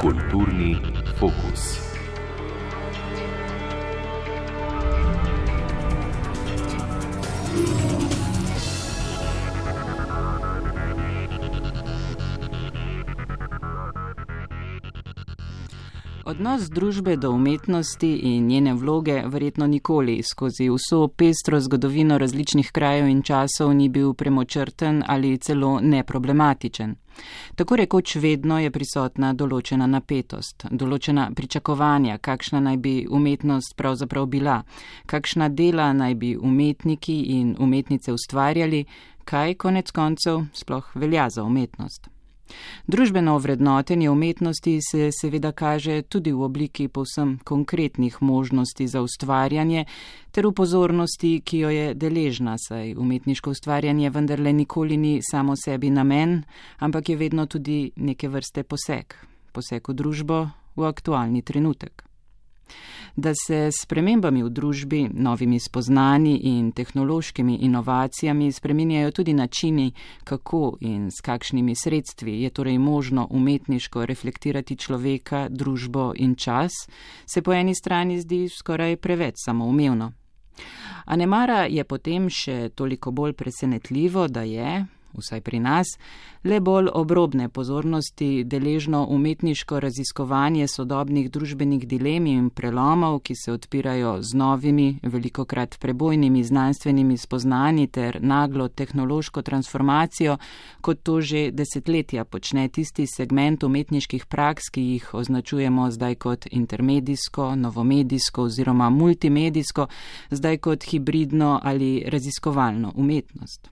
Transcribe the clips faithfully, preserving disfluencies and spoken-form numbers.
Kulturni fokus. Odnos družbe do umetnosti in njene vloge verjetno nikoli skozi vso pestro zgodovino različnih krajev in časov ni bil premočrten ali celo neproblematičen. Tako rekoč vedno je prisotna določena napetost, določena pričakovanja, kakšna naj bi umetnost pravzaprav bila, kakšna dela naj bi umetniki in umetnice ustvarjali, kaj konec koncev sploh velja za umetnost. Družbeno vrednotenje umetnosti se seveda kaže tudi v obliki povsem konkretnih možnosti za ustvarjanje ter v pozornosti, ki jo je deležna, saj umetniško ustvarjanje vendarle nikoli ni samo sebi namen, ampak je vedno tudi neke vrste poseg, poseg v družbo, v aktualni trenutek. Da se s spremembami v družbi, novimi spoznanji in tehnološkimi inovacijami spreminjajo tudi načini, kako in s kakšnimi sredstvi je torej možno umetniško reflektirati človeka, družbo in čas, se po eni strani zdi skoraj preveč samoumevno. A nemara je potem še toliko bolj presenetljivo, da je, vsaj pri nas, le bolj obrobne pozornosti deležno umetniško raziskovanje sodobnih družbenih dilem in prelomov, ki se odpirajo z novimi, velikokrat prebojnimi znanstvenimi spoznanji ter naglo tehnološko transformacijo, kot to že desetletja počne tisti segment umetniških praks, ki jih označujemo zdaj kot intermedijsko, novomedijsko oziroma multimedijsko, zdaj kot hibridno ali raziskovalno umetnost.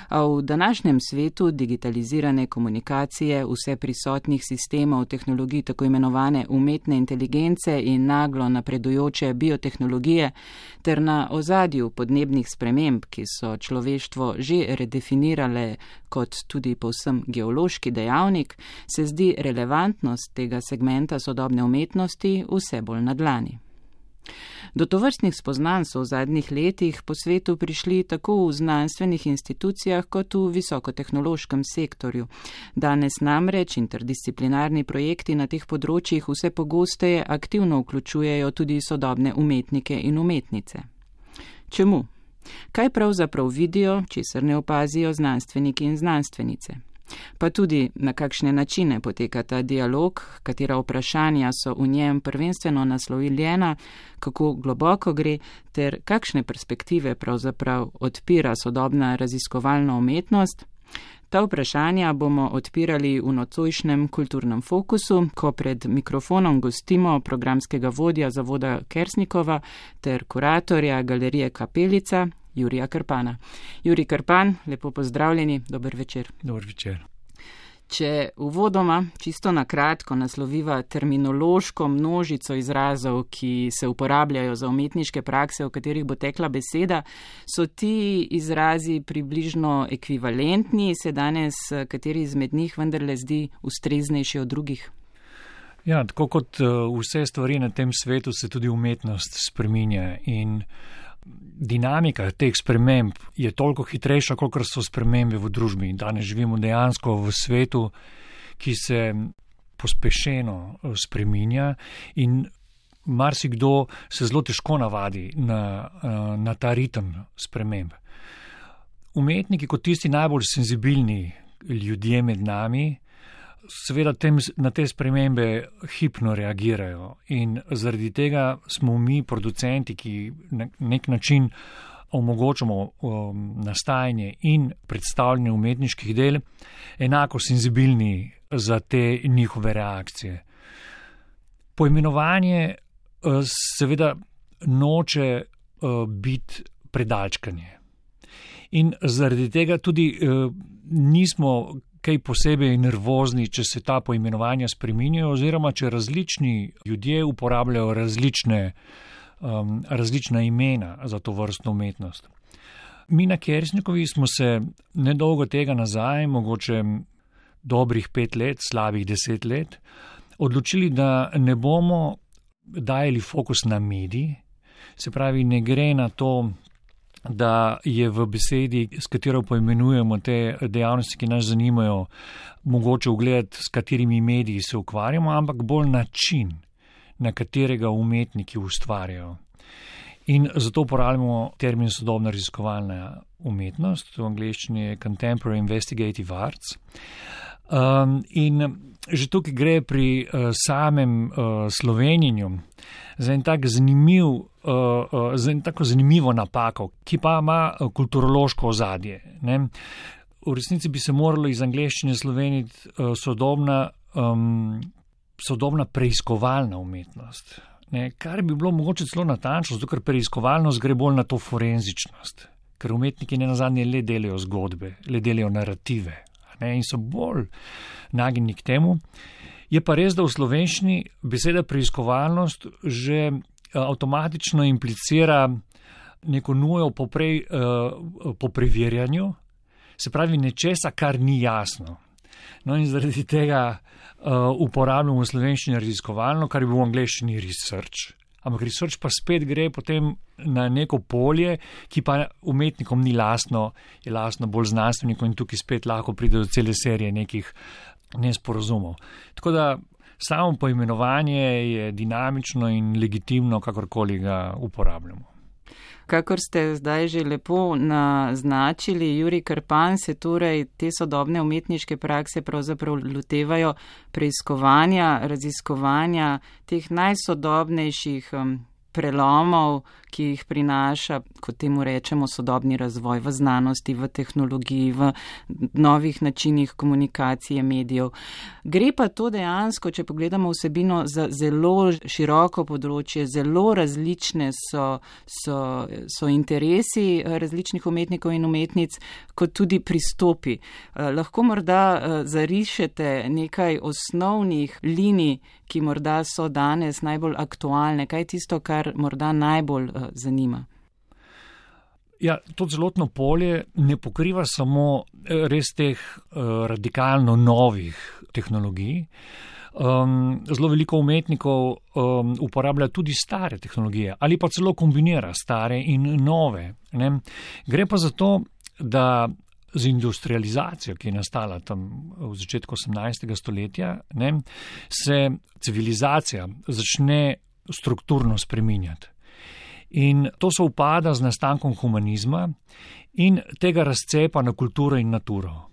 A v današnjem svetu digitalizirane komunikacije, vse prisotnih sistemov tehnologij tako imenovane umetne inteligence in naglo napredujoče biotehnologije ter na ozadju podnebnih sprememb, ki so človeštvo že redefinirale kot tudi povsem geološki dejavnik, se zdi relevantnost tega segmenta sodobne umetnosti vse bolj na dlani. Do tovrstnih spoznanj so v zadnjih letih po svetu prišli tako v znanstvenih institucijah kot v visokotehnološkem sektorju. Danes namreč interdisciplinarni projekti na teh področjih vse pogosteje aktivno vključujejo tudi sodobne umetnike in umetnice. Čemu? Kaj pravzaprav vidijo, česar ne opazijo znanstveniki in znanstvenice? Pa tudi, na kakšne načine poteka ta dialog, katera vprašanja so v njem prvenstveno naslovljena, kako globoko gre, ter kakšne perspektive pravzaprav odpira sodobna raziskovalna umetnost. Ta vprašanja bomo odpirali v nocojšnjem kulturnem fokusu, ko pred mikrofonom gostimo programskega vodja zavoda Kersnikova ter kuratorja galerije Kapelica, Jurija Krpana. Jurij Krpan, lepo pozdravljeni, dober večer. Dober večer. Če uvodoma čisto na kratko nasloviva terminološko množico izrazov, ki se uporabljajo za umetniške prakse, o katerih bo tekla beseda, so ti izrazi približno ekvivalentni, se danes kateri izmed njih vendarle zdi ustreznejši od drugih? Ja, tako kot vse stvari na tem svetu se tudi umetnost spreminja in dinamika teh sprememb je toliko hitrejša, kot so spremembe v družbi. Danes živimo dejansko v svetu, ki se pospešeno spreminja in marsikdo se zelo težko navadi na, na ta ritem sprememb. Umetniki kot tisti najbolj senzibilni ljudje med nami seveda tem, na te spremembe hipno reagirajo in zaradi tega smo mi producenti, ki na nek način omogočamo um, nastajanje in predstavljanje umetniških del, enako senzibilni za te njihove reakcije. Poimenovanje uh, seveda noče uh, biti predalčkanje in zaradi tega tudi uh, nismo kaj posebej nervozni, če se ta poimenovanja spreminjajo oziroma če različni ljudje uporabljajo različne, um, različna imena za to vrstno umetnost. Mi na Kersnikovi smo se nedolgo tega nazaj, mogoče dobrih pet let, slabih deset let, odločili, da ne bomo dajali fokus na medij, se pravi, ne gre na to, da je v besedi, s katero poimenujemo te dejavnosti, ki nas zanimajo, mogoče ugled, s katerimi mediji se ukvarjamo, ampak bolj način, na katerega umetniki ustvarjajo. In zato uporabljamo termin sodobna raziskovalna umetnost, v angleščini je Contemporary Investigative Arts. Um, in že tukaj gre pri uh, samem uh, slovenjenju za en tak zanimiv, uh, uh, za en tako zanimivo napako, ki pa ima uh, kulturološko ozadje. Ne? V resnici bi se moralo iz angleščine sloveniti uh, sodobna, um, sodobna preiskovalna umetnost. Ne, kar bi bilo mogoče celo natančno, zato ker preiskovalnost gre bolj na to forenzičnost, ker umetniki ne nazadnje le delajo zgodbe, le delajo narative, ne, in so bolj nagnjeni k temu. Je pa res, da v slovenščini beseda preiskovalnost že avtomatično implicira neko nujo po, prej, po preverjanju, se pravi nečesa, kar ni jasno. No in zaradi tega Uh, uporabljamo v slovenščini raziskovalno, kar je v angleščini research. Ampak research pa spet gre potem na neko polje, ki pa umetnikom ni lastno, je lastno bolj znanstvenikom in tukaj spet lahko pride do cele serije nekih nesporazumov. Tako da samo poimenovanje je dinamično in legitimno, kakorkoli ga uporabljamo. Kakor ste zdaj že lepo naznačili, Jurij Krpan, se torej te sodobne umetniške prakse pravzaprav lotevajo preiskovanja, raziskovanja teh najsodobnejših um, prelomov, ki jih prinaša, kot temu rečemo, sodobni razvoj v znanosti, v tehnologiji, v novih načinih komunikacije medijev. Gre pa to dejansko, če pogledamo vsebino, za zelo široko področje, zelo različne so, so, so interesi različnih umetnikov in umetnic, kot tudi pristopi. Lahko morda zarišete nekaj osnovnih linij, ki morda so danes najbolj aktualne. Kaj je tisto, kar morda najbolj uh, zanima? Ja, to celotno polje ne pokriva samo res teh uh, radikalno novih tehnologij. Um, zelo veliko umetnikov um, uporablja tudi stare tehnologije ali pa celo kombinira stare in nove. Ne? Gre pa za to, da z industrializacijo, ki je nastala tam v začetku osemnajstega stoletja, ne, se civilizacija začne strukturno spreminjati. In to se upada z nastankom humanizma in tega razcepa na kulturo in naturo.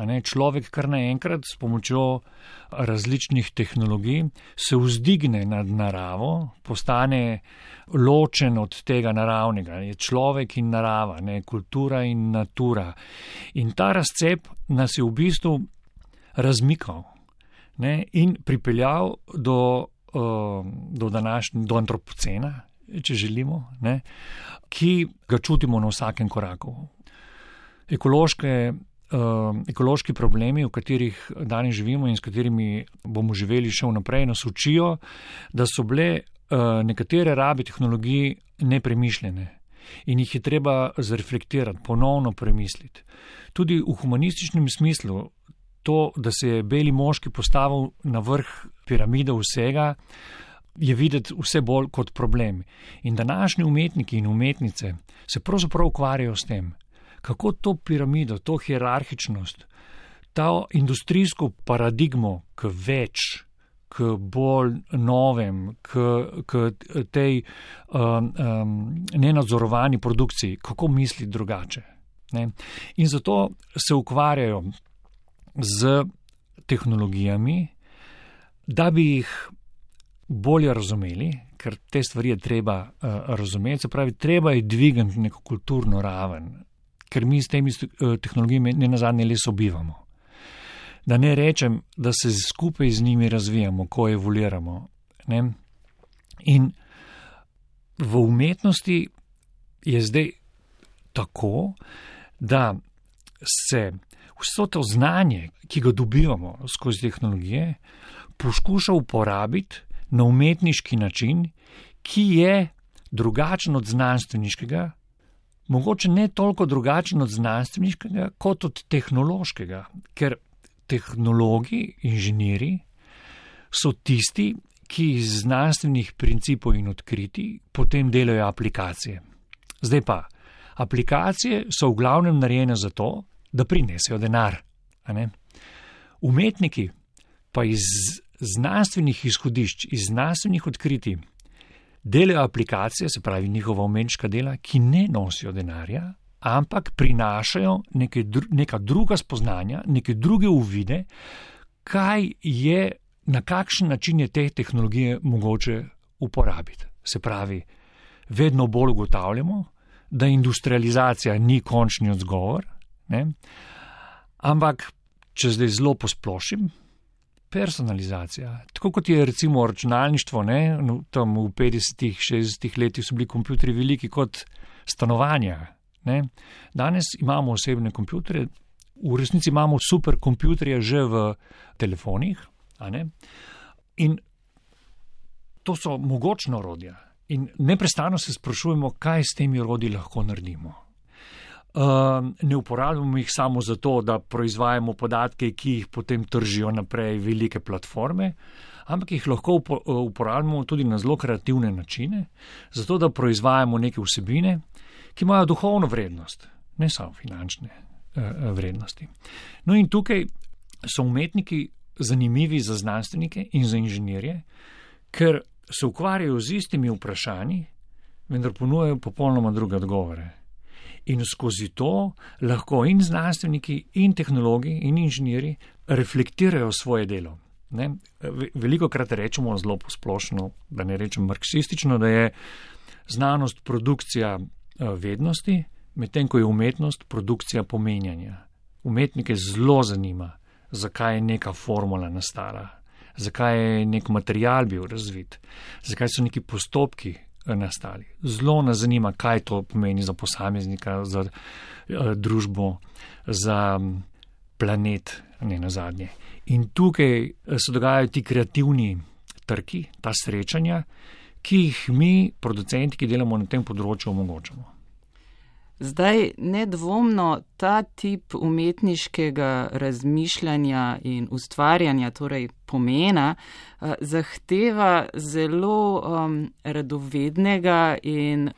A ne, človek kar naenkrat s pomočjo različnih tehnologij se vzdigne nad naravo, postane ločen od tega naravnega. Je človek in narava, ne, kultura in natura. In ta razcep nas je v bistvu razmikal, ne, in pripeljal do, uh, do današnjega, do antropocena, če želimo, ne, ki ga čutimo na vsakem koraku. Ekološke Uh, ekološki problemi, v katerih danes živimo in s katerimi bomo živeli še vnaprej, nas učijo, da so bile uh, nekatere rabe tehnologij nepremišljene in jih je treba zreflektirati, ponovno premisliti. Tudi v humanističnem smislu to, da se je beli moški postavil na vrh piramide vsega, je videti vse bolj kot problem. In današnji umetniki in umetnice se pravzaprav ukvarjajo s tem, kako to piramido, to hierarhičnost, ta industrijsko paradigmo k več, k bolj novem, k, k tej um, um, nenadzorovani produkciji, kako misliti drugače. Ne? In zato se ukvarjajo z tehnologijami, da bi jih bolje razumeli, ker te stvari je treba uh, razumeti, se pravi, treba je dvigati neko kulturno raven, ker mi s temi tehnologijami ne nazadnje le sobivamo. Da ne rečem, da se skupaj z njimi razvijamo, ko evoluiramo. Ne? In v umetnosti je zdaj tako, da se vso to znanje, ki ga dobivamo skozi tehnologije, poskuša uporabiti na umetniški način, ki je drugačen od znanstveniškega, mogoče ne toliko drugačen od znanstveniškega, kot od tehnološkega, ker tehnologi, inženirji so tisti, ki iz znanstvenih principov in odkritij potem delajo aplikacije. Zdaj pa, Aplikacije so v glavnem narejene za to, da prinesejo denar. A ne? Umetniki pa iz znanstvenih izhodišč, iz znanstvenih odkritij delajo aplikacije, se pravi njihova umetniška dela, ki ne nosijo denarja, ampak prinašajo neke, neka druga spoznanja, neke druge uvide, kaj je, na kakšen način je te tehnologije mogoče uporabiti. Se pravi, vedno bolj ugotavljamo, da industrializacija ni končni odgovor, ne? Ampak, če zdaj zelo posplošim, personalizacija. Tako kot je recimo računalništvo, ne? Tam v petdesetih, šestdesetih letih so bili kompjuterji veliki kot stanovanja. Ne? Danes imamo osebne kompjuterje, v resnici imamo super kompjuterje že v telefonih, a ne? In to so mogočna orodja. In neprestano se sprašujemo, kaj s temi orodji lahko naredimo. Uh, ne uporabljamo jih samo zato, da proizvajamo podatke, ki jih potem tržijo naprej velike platforme, ampak jih lahko uporabljamo tudi na zelo kreativne načine, zato da proizvajamo neke vsebine, ki imajo duhovno vrednost, ne samo finančne uh, vrednosti. No in tukaj so umetniki zanimivi za znanstvenike in za inženirje, ker se ukvarjajo z istimi vprašanji, vendar ponujajo popolnoma druge odgovore. In skozi to lahko in znanstveniki, in tehnologi, in inženirji reflektirajo svoje delo. Ne? Veliko krat rečemo zelo posplošno, da ne rečem marksistično, da je znanost produkcija vednosti, medtem ko je umetnost produkcija pomenjanja. Umetnike zelo zanima, zakaj je neka formula nastala, zakaj je nek material bil razvit, zakaj so neki postopki nastali. Zelo nas zanima, kaj to pomeni za posameznika, za uh, družbo, za planet, ne nazadnje. In tukaj se dogajajo ti kreativni trki, ta srečanja, ki jih mi, producenti, ki delamo na tem področju, omogočamo. Zdaj, nedvomno, ta tip umetniškega razmišljanja in ustvarjanja, torej pomena, zahteva zelo um, radovednega in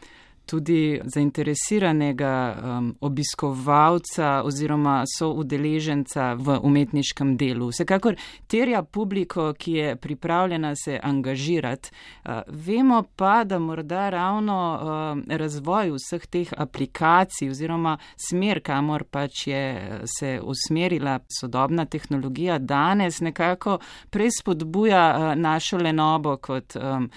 tudi zainteresiranega um, obiskovalca oziroma soudeleženca v umetniškem delu. Vsekakor terja publiko, ki je pripravljena se angažirati. Uh, vemo pa, da morda ravno uh, razvoj vseh teh aplikacij oziroma smer, kamor pač je se usmerila sodobna tehnologija, danes nekako prej spodbuja uh, našo lenobo kot um,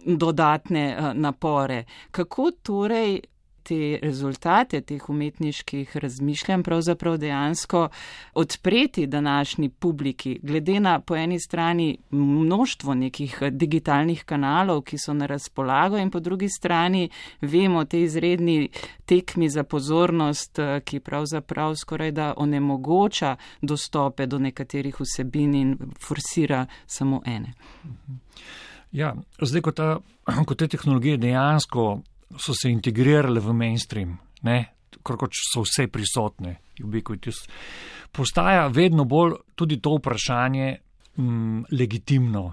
dodatne uh, napore. Kako torej te rezultate teh umetniških razmišljanj pravzaprav dejansko odpreti današnji publiki, glede na po eni strani množstvo nekih digitalnih kanalov, ki so na razpolago, in po drugi strani vemo te izredni tekmi za pozornost, ki pravzaprav skoraj da onemogoča dostope do nekaterih vsebin in forsira samo ene. Ja, zdaj, ko, ta, ko te tehnologije dejansko so se integrirale v mainstream, ne, kot so vse prisotne, ubiquitous, postaja vedno bolj tudi to vprašanje m, legitimno,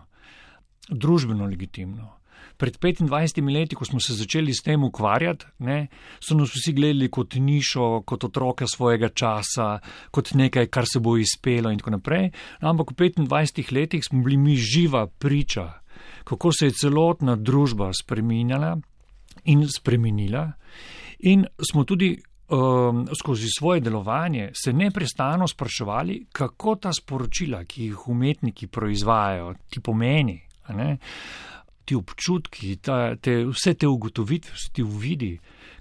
družbeno legitimno. Pred petindvajsetimi leti, ko smo se začeli s tem ukvarjati, ne, so nas vsi gledali kot nišo, kot otroka svojega časa, kot nekaj, kar se bo izpelo in tako naprej, ampak v petindvajsetih letih smo bili mi živa priča, kako se je celotna družba spreminjala in spremenila, in smo tudi um, skozi svoje delovanje se neprestano spraševali, kako ta sporočila, ki jih umetniki proizvajajo, ti pomeni, a ne, ti občutki, ta, te, vse te ugotovitve, vse ti uvidi,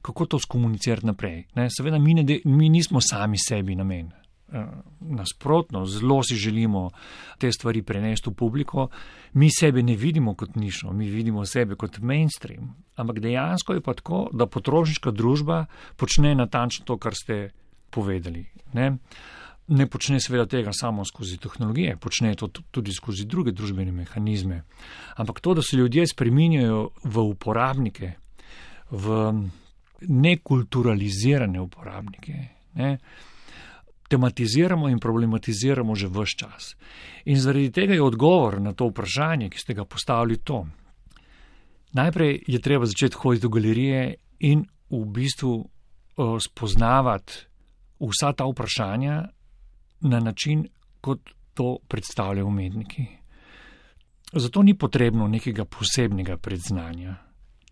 kako to skomunicirati naprej. Ne? Seveda mi, ne, mi nismo sami sebi namen. Nasprotno, zelo si želimo te stvari prenesti v publiko. Mi sebe ne vidimo kot nišo, mi vidimo sebe kot mainstream. Ampak dejansko je pa tako, da potrošniška družba počne natančno to, kar ste povedali. Ne, ne počne seveda tega samo skozi tehnologije, počne to tudi skozi druge družbene mehanizme. Ampak to, da se ljudje spreminjajo v uporabnike, v nekulturalizirane uporabnike, ne, tematiziramo in problematiziramo že ves čas. In zaradi tega je odgovor na to vprašanje, ki ste ga postavili, to. Najprej je treba začeti hoditi v galerije in v bistvu spoznavati vsa ta vprašanja na način, kot to predstavljajo umetniki. Zato ni potrebno nekega posebnega predznanja,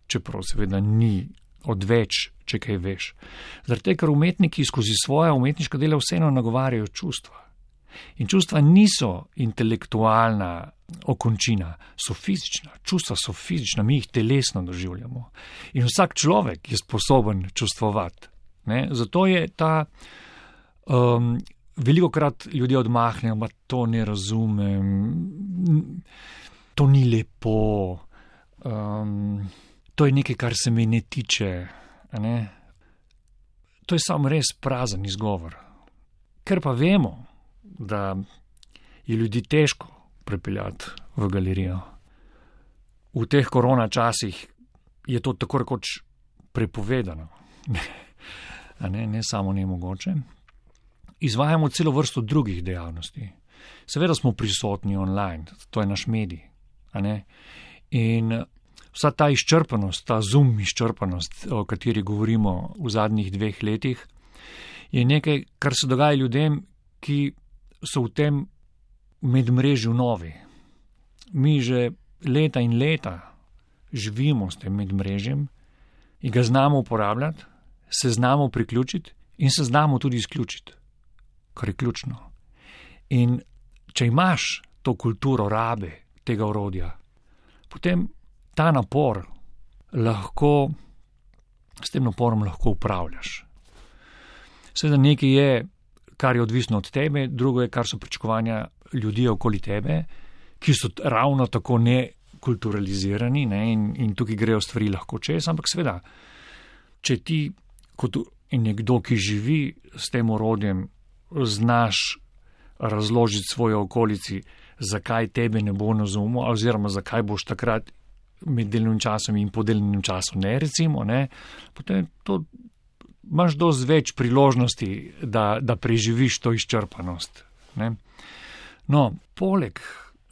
čeprav seveda ni odveč, če kaj veš. Zaradi tega, ker umetniki skozi svoja umetniška dela vseeno nagovarjajo čustva. In čustva niso intelektualna okončina, so fizična. Čustva so fizična, mi jih telesno doživljamo. In vsak človek je sposoben čustvovati. Ne? Zato je ta, um, velikokrat ljudje odmahnejo, da to ne razumem, to ni lepo, um, to je nekaj, kar se me ne tiče. Ne? To je samo res prazen izgovor. Ker pa vemo, da je ljudi težko prepeljati v galerijo. V teh korona časih je to tako rekoč prepovedano. A ne, ne samo nemogoče. Izvajamo celo vrsto drugih dejavnosti. Seveda smo prisotni online, to je naš medij. A ne? In vsa ta izčrpanost, ta Zoom izčrpanost, o kateri govorimo v zadnjih dveh letih, je nekaj, kar se dogaja ljudem, ki so v tem medmrežju novi. Mi že leta in leta živimo s tem medmrežjem in ga znamo uporabljati, se znamo priključiti in se znamo tudi izključiti, kar je ključno. In če imaš to kulturo rabe tega orodja, potem ta napor lahko, s tem naporom lahko upravljaš. Seveda nekaj je, kar je odvisno od tebe, drugo je, kar so pričakovanja ljudi okoli tebe, ki so ravno tako nekulturalizirani, ne, in, in tukaj grejo stvari lahko čez, ampak seveda, če ti kot nekdo, ki živi s tem orodjem, znaš razložiti svoje okolici, zakaj tebe ne bo razumel, oziroma zakaj boš takrat med delnim časom in po delnim času ne, recimo, ne, potem to imaš dosti več priložnosti, da, da preživiš to izčrpanost. Ne. No, poleg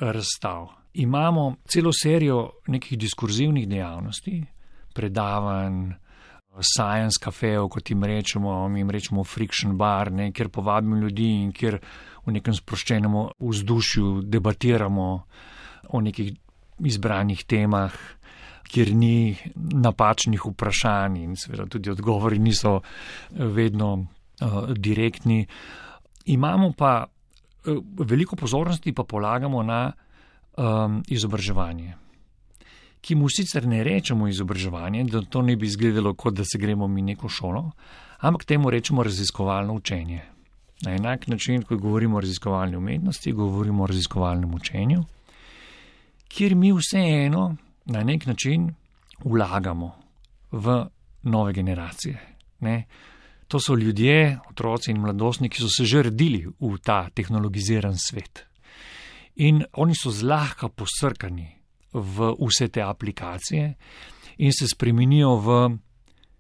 razstav imamo celo serijo nekih diskurzivnih dejavnosti, predavanj, science cafejev, kot jim rečemo, mi jim rečemo friction bar, ne, kjer povabimo ljudi in kjer v nekem sproščenem vzdušju debatiramo o nekih izbranih temah, kjer ni napačnih vprašanj in seveda tudi odgovori niso vedno uh, direktni. Imamo pa uh, veliko pozornosti pa polagamo na um, izobraževanje, ki mu sicer ne rečemo izobraževanje, da to ne bi izgledalo, kot da se gremo mi neko šolo, ampak temu rečemo raziskovalno učenje. Na enak način, ko govorimo o raziskovalni umetnosti, govorimo o raziskovalnem učenju, kjer mi vseeno na nek način vlagamo v nove generacije. Ne? To so ljudje, otroci in mladostniki, ki so se že rodili v ta tehnologiziran svet. In oni so zlahka posrkani v vse te aplikacije in se spremenijo v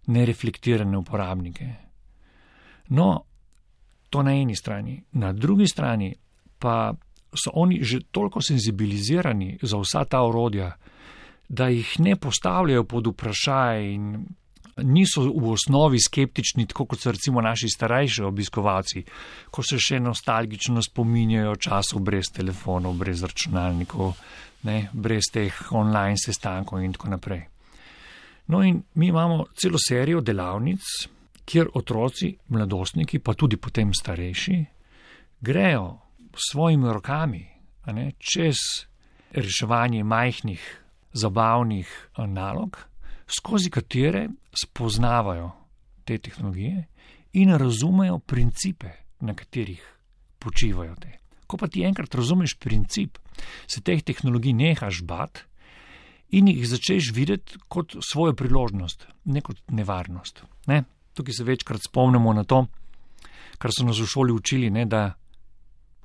nereflektirane uporabnike. No, to na eni strani. Na drugi strani pa so oni že toliko senzibilizirani za vsa ta orodja, da jih ne postavljajo pod vprašaj in niso v osnovi skeptični, tako kot so recimo naši starejši obiskovalci, ko se še nostalgično spominjajo časov brez telefonov, brez računalnikov, ne, brez teh online sestankov in tako naprej. No in mi imamo celo serijo delavnic, kjer otroci, mladostniki, pa tudi potem starejši, grejo s svojimi rokami, a ne, čez reševanje majhnih, zabavnih nalog, skozi katere spoznavajo te tehnologije in razumejo principe, na katerih počivajo te. Ko pa ti enkrat razumeš princip, se teh tehnologij nehaš bati in jih začneš videti kot svojo priložnost, ne kot nevarnost. Ne? Tukaj se večkrat spomnimo na to, kar so nas v šoli učili, ne, da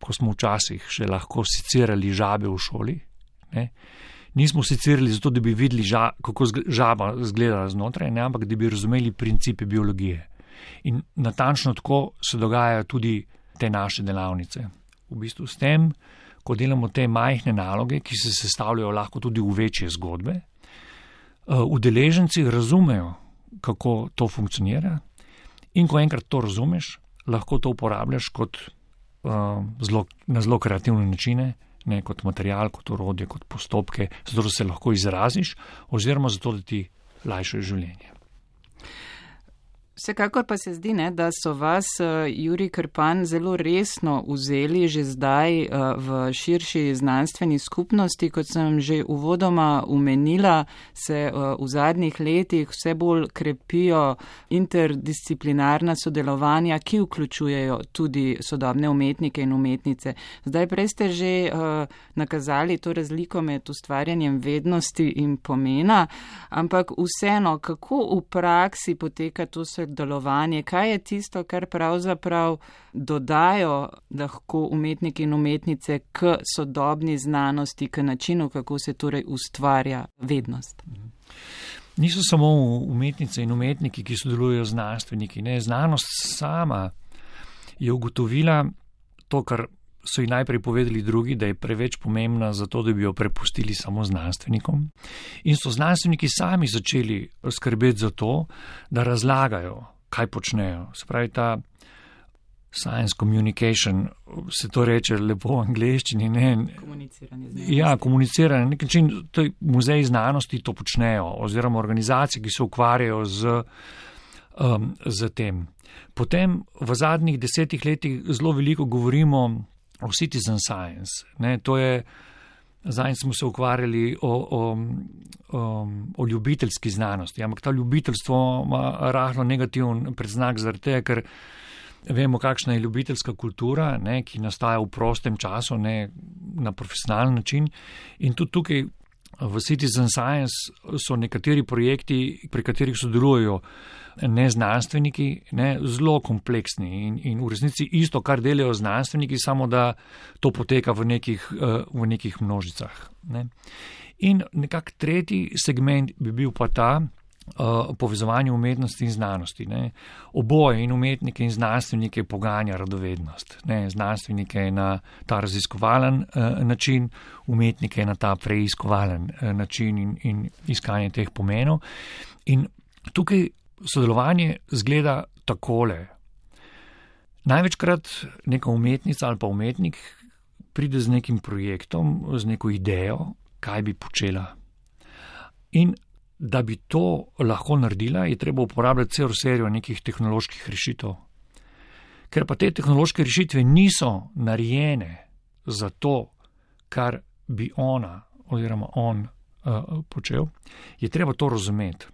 ko smo včasih še lahko secirali žabe v šoli, ne, nismo secirali zato, da bi videli, ža, kako žaba izgleda znotraj, ne, ampak da bi razumeli principe biologije. In natančno tako se dogajajo tudi te naše delavnice. V bistvu s tem, ko delamo te majhne naloge, ki se sestavljajo lahko tudi v večje zgodbe, udeleženci razumejo, kako to funkcionira In ko enkrat to razumeš, lahko to uporabljaš kot, uh, zelo, na zelo kreativne načine, ne, kot material, kot orodje, kot postopke, zato da se lahko izraziš oziroma zato, da ti lajšajo življenje. Vsekakor pa se zdi, ne, da so vas, Jurij Krpan, zelo resno vzeli že zdaj v širši znanstveni skupnosti. Kot sem že uvodoma omenila, se v zadnjih letih vse bolj krepijo interdisciplinarna sodelovanja, ki vključujejo tudi sodobne umetnike in umetnice. Zdaj prej ste že nakazali to razliko med ustvarjanjem vednosti in pomena, ampak vseeno, kako v praksi poteka to sodelovanje, kaj je tisto, kar pravzaprav dodajo lahko umetniki in umetnice k sodobni znanosti, k načinu, kako se torej ustvarja vednost? Niso samo umetnice in umetniki, ki sodelujejo z znanstveniki. Ne? Znanost sama je ugotovila to, kar so ji najprej povedali drugi, da je preveč pomembna za to, da bi jo prepustili samo znanstvenikom. In so znanstveniki sami začeli skrbeti za to, da razlagajo, kaj počnejo. Se pravi, ta science communication, se to reče lepo v angleščini. Ne? Komuniciranje znanosti. Ja, komuniciranje. Na nek način muzeji znanosti to počnejo, oziroma organizacije, ki se ukvarjajo z, um, z tem. Potem v zadnjih desetih letih zelo veliko govorimo o citizen science. Ne? To je, zdaj smo se ukvarjali o, o, o, o ljubiteljski znanosti, ampak ta ljubiteljstvo ima rahlo negativen predznak zaradi tega, ker vemo, kakšna je ljubiteljska kultura, ne, ki nastaja v prostem času, ne na profesionalen način. In tudi tukaj v Citizen Science so nekateri projekti, pri katerih sodelujejo neznanstveniki, ne, zelo kompleksni in, in v resnici isto, kar delajo znanstveniki, samo da to poteka v nekih, v nekih množicah. Ne. In nekak tretji segment bi bil pa ta, Uh, povezovanje umetnosti in znanosti. Ne. Oboje in umetnike in znanstvenike poganja radovednost. Ne. Znanstvenike na ta raziskovalen uh, način, umetnike na ta preiskovalen uh, način in, in iskanje teh pomenov. In tukaj sodelovanje zgleda takole. Največkrat neka umetnica ali pa umetnik pride z nekim projektom, z neko idejo, kaj bi počela. In da bi to lahko naredila, je treba uporabljati celo serijo nekih tehnoloških rešitev. Ker pa te tehnološke rešitve niso narejene za to, kar bi ona oziroma on uh, počel, je treba to razumeti.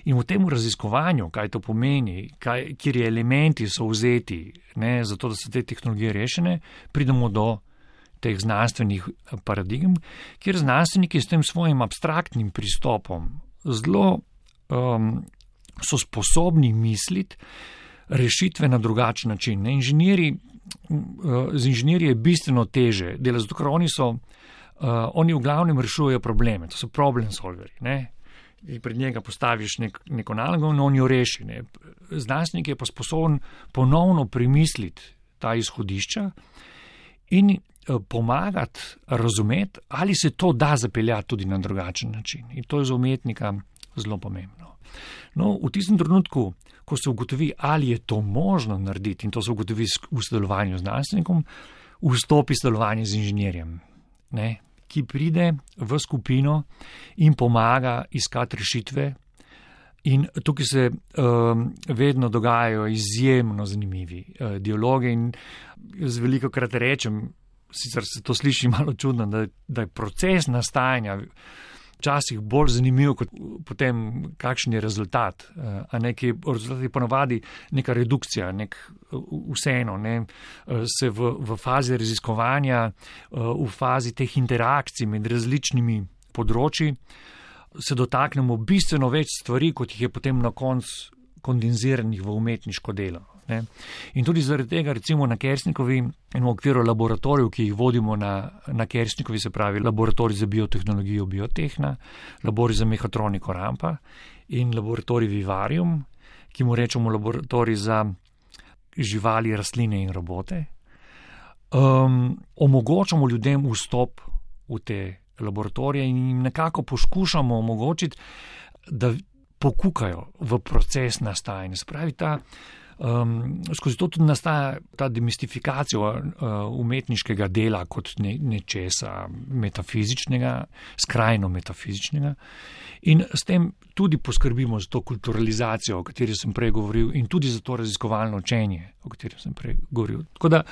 In v tem raziskovanju, kaj to pomeni, kaj, kjer elementi so vzeti, ne, zato da so te tehnologije rešene, pridemo do teh znanstvenih paradigm, kjer znanstveniki s tem svojim abstraktnim pristopom zelo um, so sposobni misliti rešitve na drugačen način. Inženirji, uh, z inženirji je bistveno teže delati, zato ker oni so, uh, oni v glavnem rešujejo probleme, to so problem solveri. Ne? Pred njega postaviš nek, neko nalogo in on jo reši. Ne? Znanstvenik je pa sposoben ponovno premisliti ta izhodišča in pomagati razumeti, ali se to da zapeljati tudi na drugačen način. In to je za umetnika zelo pomembno. No, v tistem trenutku, ko se ugotovi, ali je to možno narediti, in to se ugotovi v sodelovanju z znanstvenikom, vstopi sodelovanje z inženirjem, ne, ki pride v skupino in pomaga iskati rešitve. In tukaj se um, vedno dogajajo izjemno zanimivi uh, dialogi in z veliko krat rečem, sicer se to sliši malo čudno, da, da je proces nastajanja včasih bolj zanimiv kot potem kakšen je rezultat. A neki rezultat je ponovadi neka redukcija, nek vseeno, ne, se v, v fazi raziskovanja, v fazi teh interakcij med različnimi področji se dotaknemo bistveno več stvari, kot jih je potem na koncu kondenziranih v umetniško delo. Ne. In tudi zaradi tega, recimo na Kersnikovi in v okviru laboratorijev, ki jih vodimo na, na Kersnikovi, se pravi laboratorij za biotehnologijo Biotehna, laboratorij za mehatroniko Rampa in laboratorij Vivarium, ki mu rečemo laboratorij za živali, rastline in robote, um, omogočamo ljudem vstop v te laboratorije in jim nekako poskušamo omogočiti, da pokukajo v proces nastajanja. Se pravi, ta Um, skozi to tudi nastaja ta demistifikacija uh, umetniškega dela kot ne, nečesa metafizičnega, skrajno metafizičnega. In s tem tudi poskrbimo za to kulturalizacijo, o kateri sem prej govoril, in tudi za to raziskovalno učenje, o kateri sem prej govoril. Tako da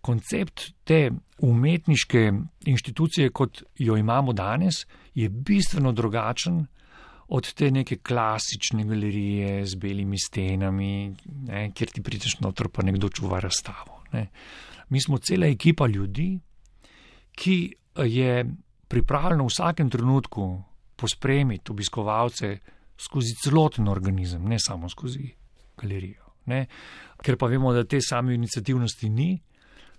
koncept te umetniške inštitucije, kot jo imamo danes, je bistveno drugačen od te neke klasične galerije z belimi stenami, ne, kjer ti prideš noter, pa nekdo čuva razstavo. Ne. Mi smo cela ekipa ljudi, ki je pripravljena v vsakem trenutku pospremiti obiskovalce skozi celoten organizem, ne samo skozi galerijo. Ne. Ker pa vemo, da te same iniciativnosti ni,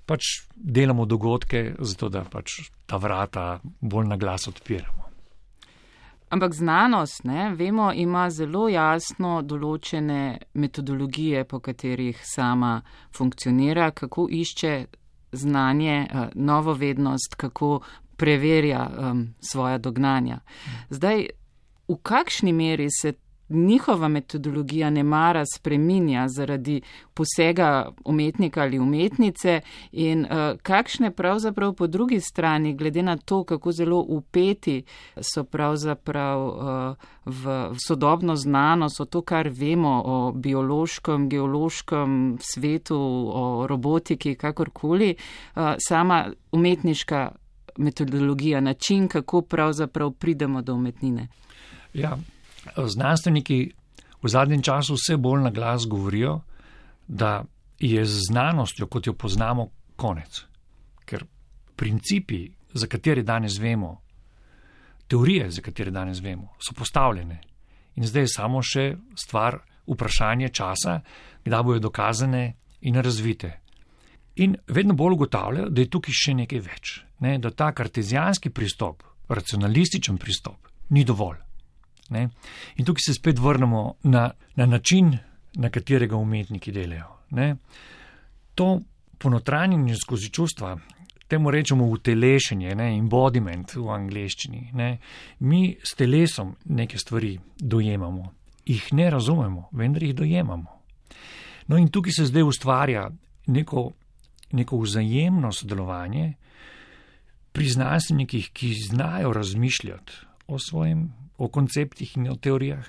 pač delamo dogodke, zato da pač ta vrata bolj na glas odpiramo. Ampak znanost, ne, vemo, ima zelo jasno določene metodologije, po katerih sama funkcionira, kako išče znanje, novo vednost, kako preverja um, svoja dognanja. Zdaj, v kakšni meri se njihova metodologija nemara spreminja zaradi posega umetnika ali umetnice in uh, kakšne pravzaprav po drugi strani, glede na to, kako zelo upeti so pravzaprav uh, v, v sodobno znanost, o to, kar vemo o biološkem, geološkem svetu, o robotiki, kakorkoli, uh, sama umetniška metodologija, način, kako pravzaprav pridemo do umetnine. Ja. Znanstveniki v zadnjem času vse bolj na glas govorijo, da je z znanostjo, kot jo poznamo, konec. Ker principi, za katere danes vemo, teorije, za katere danes vemo, so postavljene. In zdaj je samo še stvar vprašanje časa, kdaj bojo dokazane in razvite. In vedno bolj ugotavljajo, da je tukaj še nekaj več. Ne? Da ta kartezijanski pristop, racionalističen pristop, ni dovolj. Ne? In tukaj se spet vrnemo na, na način, na katerega umetniki delajo. Ne? To ponotranjenje skozi čustva, temu rečemo utelešenje, ne? Embodiment v angleščini. Ne? Mi s telesom neke stvari dojemamo, jih ne razumemo, vendar jih dojemamo. No in tukaj se zdaj ustvarja neko, neko vzajemno sodelovanje pri znanstvenikih, ki znajo razmišljati o svojem, o konceptih in o teorijah,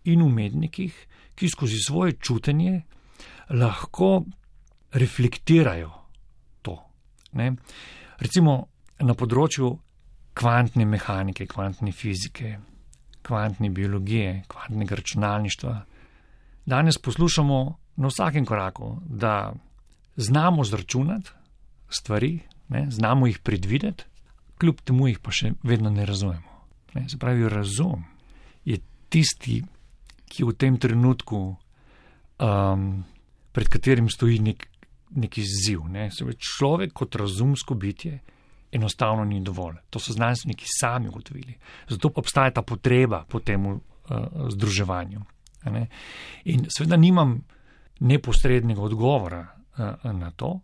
in umetnikih, ki skozi svoje čutenje lahko reflektirajo to. Ne? Recimo na področju kvantne mehanike, kvantne fizike, kvantne biologije, kvantnega računalništva. Danes poslušamo na vsakem koraku, da znamo zračunati stvari, ne? Znamo jih predvideti, kljub temu jih pa še vedno ne razumemo. Ne, se pravi, razum je tisti, ki v tem trenutku, um, pred katerim stoji nek, nek izziv. Ne. Se pravi, človek kot razumsko bitje enostavno ni dovolj. To so znanstveniki sami ugotovili. Zato pa obstaja ta potreba po tem uh, združevanju. Ne. In seveda nimam neposrednega odgovora uh, na to,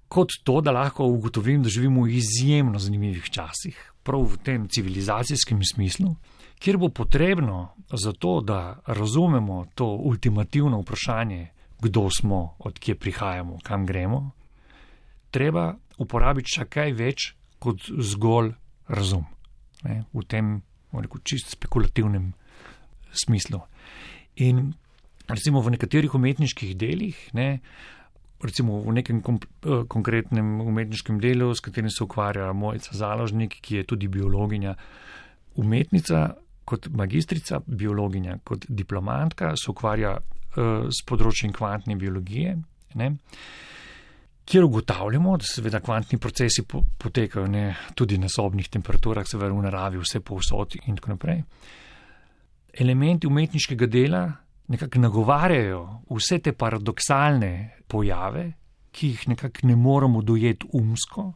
kot to, da lahko ugotovim, da živimo v izjemno zanimivih časih, prav v tem civilizacijskem smislu, kjer bo potrebno za to, da razumemo to ultimativno vprašanje, kdo smo, od kje prihajamo, kam gremo, treba uporabiti še kaj več kot zgolj razum. Ne, v tem, rekel, čist spekulativnem smislu. In recimo v nekaterih umetniških delih, ne, recimo v nekem komp- konkretnem umetniškem delu, s katerim se ukvarja Mojca Založnik, ki je tudi biologinja, umetnica kot magistrica, biologinja kot diplomantka, se ukvarja uh, s področjem kvantne biologije, ne, kjer ugotavljamo, da seveda kvantni procesi po- potekajo ne, tudi na sobnih temperaturah, seveda v naravi, vse povsod in tako naprej. Elementi umetniškega dela nekako nagovarjajo vse te paradoksalne pojave, ki jih nekako ne moremo dojeti umsko,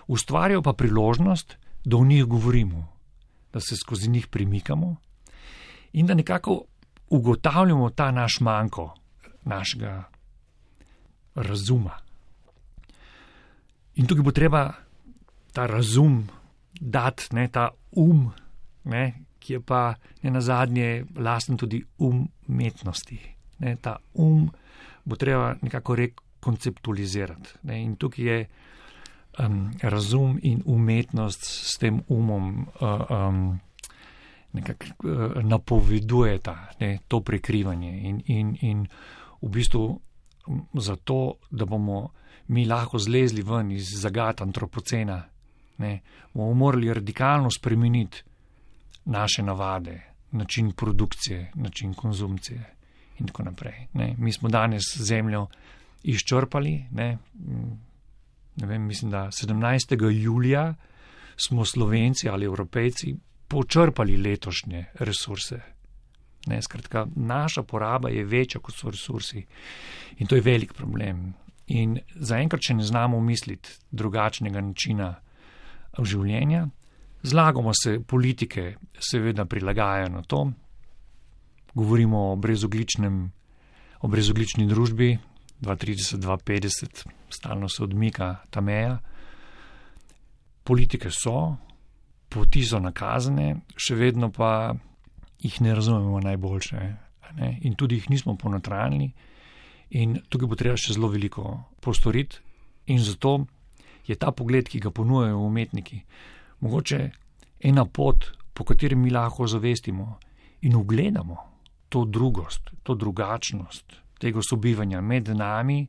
ustvarjajo pa priložnost, da o njih govorimo, da se skozi njih premikamo in da nekako ugotavljamo ta naš manko, našega razuma. In tukaj bo treba ta razum dati, ne, ta um, ne, ki je pa ne nazadnje lasten tudi umetnosti. Ne, ta um bo treba nekako rekonceptualizirati. Ne, in tukaj je um, razum in umetnost s tem umom uh, um, nekako uh, napovedujeta, ne, to prekrivanje in, in, in v bistvu zato, da bomo mi lahko zlezli ven iz zagat antropocena, ne, bomo morali radikalno spremeniti naše navade, način produkcije, način konzumcije in tako naprej. Ne. Mi smo danes zemljo izčrpali, ne, ne vem, mislim, da sedemnajstega julija smo Slovenci ali Evropejci počrpali letošnje resurse. Ne, skratka, naša poraba je večja, kot so resursi in to je velik problem. In zaenkrat, če ne znamo misliti drugačnega načina življenja, zlagamo se, politike seveda prilagajajo na to, govorimo o brezogličnem, o brezoglični družbi, dva trideset, dva petdeset, stalno se odmika ta meja. Politike so, poti so nakazane, še vedno pa jih ne razumemo najboljše, ne? In tudi jih nismo ponotranili in tukaj bo treba še zelo veliko postoriti in zato je ta pogled, ki ga ponujajo umetniki, mogoče ena pot, po kateri mi lahko zavestimo in ugledamo to drugost, to drugačnost tega sobivanja med nami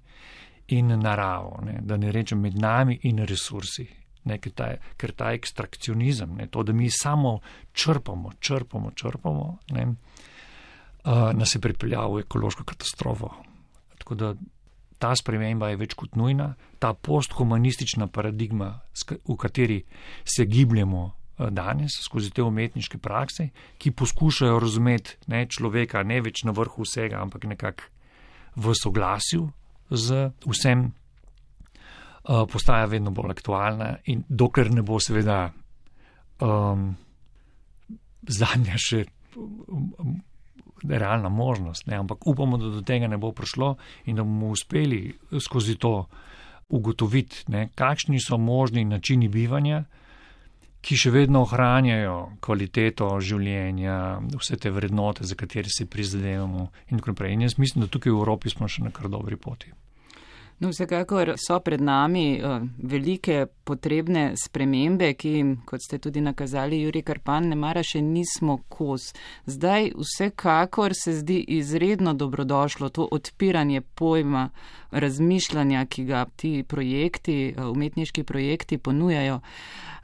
in naravo, ne? Da ne rečem med nami in resursi. Ne, ker, ta, ker ta ekstrakcionizem, ne, to, da mi samo črpamo, črpamo, črpamo, ne, uh, nas je pripeljal v ekološko katastrofo. Tako da ta sprememba je več kot nujna, ta posthumanistična paradigma, v kateri se gibljemo danes skozi te umetniške prakse, ki poskušajo razumeti, ne, človeka ne več na vrhu vsega, ampak nekako v soglasju z vsem, postaja vedno bolj aktualna in dokler ne bo seveda um, zadnja še um, realna možnost, ne? Ampak upamo, da do tega ne bo prišlo in da bomo uspeli skozi to ugotoviti, ne, kakšni so možni načini bivanja, ki še vedno ohranjajo kvaliteto življenja, vse te vrednote, za katere se prizadevamo in tako naprej. In jaz mislim, da tukaj v Evropi smo še na kar dobri poti. No, vsekakor so pred nami uh, velike potrebne spremembe, ki jim, kot ste tudi nakazali, Jurij Krpan, ne mara še nismo kos. Zdaj vsekakor se zdi izredno dobrodošlo to odpiranje pojma razmišljanja, ki ga ti projekti, uh, umetniški projekti ponujajo.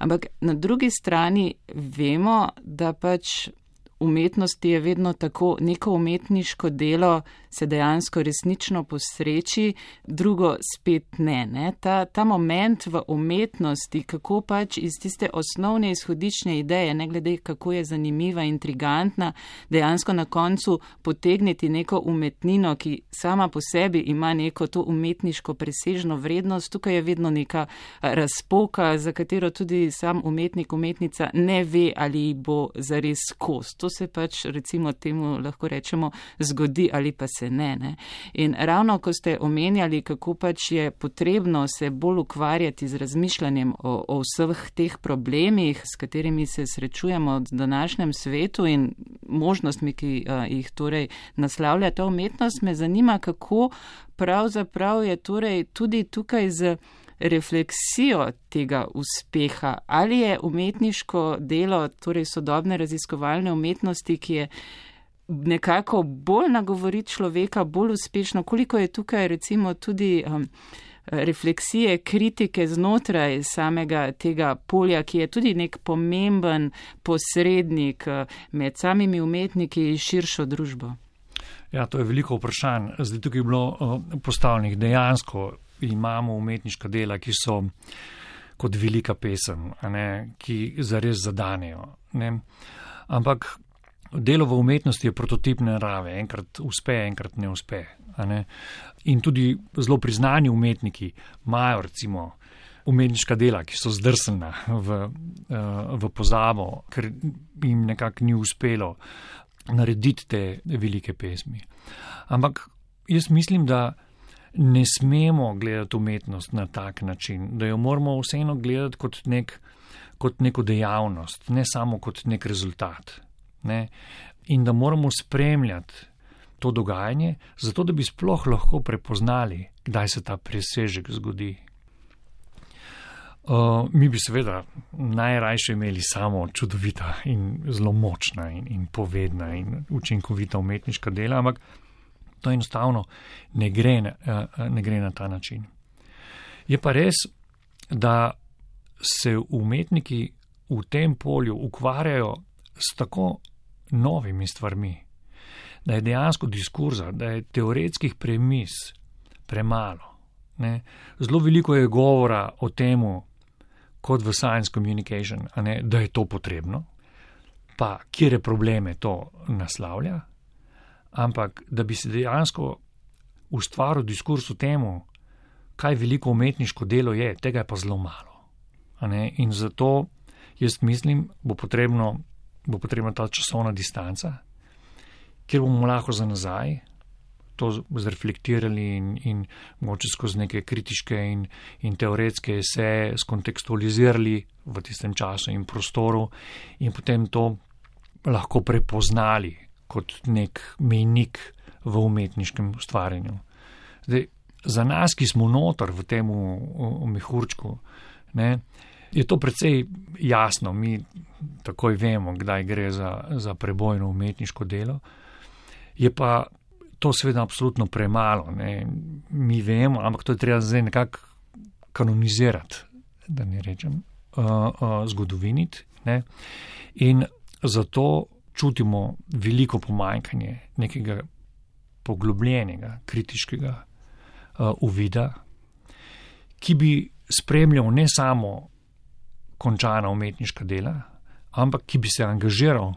Ampak na drugi strani vemo, da pač umetnosti je vedno tako, neko umetniško delo se dejansko resnično posreči, drugo spet ne. ne? Ta, ta moment v umetnosti, kako pač iz tiste osnovne izhodične ideje, ne glede kako je zanimiva, intrigantna, dejansko na koncu potegniti neko umetnino, ki sama po sebi ima neko to umetniško presežno vrednost, tukaj je vedno neka razpoka, za katero tudi sam umetnik, umetnica ne ve, ali bo zares kos. To se pač recimo temu lahko rečemo zgodi ali pa se ne, ne. In ravno ko ste omenjali, kako pač je potrebno se bolj ukvarjati z razmišljanjem o, o vseh teh problemih, s katerimi se srečujemo v današnjem svetu in možnostmi, ki uh, jih torej naslavlja ta umetnost, me zanima, kako pravzaprav je torej tudi tukaj z refleksijo tega uspeha, ali je umetniško delo, torej sodobne raziskovalne umetnosti, ki je nekako bolj nagovori človeka, bolj uspešno, koliko je tukaj recimo tudi um, refleksije, kritike znotraj samega tega polja, ki je tudi nek pomemben posrednik med samimi umetniki in širšo družbo. Ja, to je veliko vprašanj. Zdaj tukaj je bilo uh, postavljenih dejansko. Imamo umetniška dela, ki so kot velika pesem, a ne, ki zares zadanejo. Ne. Ampak delo v umetnosti je prototipne narave, enkrat uspe, enkrat ne uspe. A ne. In tudi zelo priznani umetniki imajo recimo umetniška dela, ki so zdrsnjena v, v pozabo, ker jim nekako ni uspelo narediti te velike pesmi. Ampak jaz mislim, da ne smemo gledati umetnost na tak način, da jo moramo vseeno gledati kot, nek, kot neko dejavnost, ne samo kot nek rezultat. Ne? In da moramo spremljati to dogajanje, zato da bi sploh lahko prepoznali, kdaj se ta presežek zgodi. Uh, mi bi seveda najrajše imeli samo čudovita in zelo močna in, in povedna in učinkovita umetniška dela, ampak to enostavno ne gre, uh, ne gre na ta način. Je pa res, da se umetniki v tem polju ukvarjajo s tako novimi stvarmi, da je dejansko diskurza, da je teoretskih premis premalo. Ne? Zelo veliko je govora o temu, kot v science communication, a ne, da je to potrebno, pa kjere probleme to naslavlja, ampak da bi se dejansko ustvaril diskurs o temu, kaj veliko umetniško delo je, tega je pa zelo malo. A ne? In zato jaz mislim, bo potrebno, bo potrebna ta časovna distanca, kjer bomo lahko za nazaj to zreflektirali in, in mogoče skozi neke kritiške in, in teoretske eseje skontekstualizirali v tistem času in prostoru in potem to lahko prepoznali kot nek mejnik v umetniškem ustvarjanju. Zdaj, za nas, ki smo notor v tem mehurčku, ne, je to precej jasno, mi takoj vemo, kdaj gre za, za prebojno umetniško delo, je pa to seveda absolutno premalo. Ne. Mi vemo, ampak to je treba zdaj nekako kanonizirati, da ne rečem, uh, uh, zgodoviniti. Ne. In zato čutimo veliko pomanjkanje nekega poglobljenega, kritiškega uh, uvida, ki bi spremljal ne samo končana umetniška dela, ampak ki bi se angažiral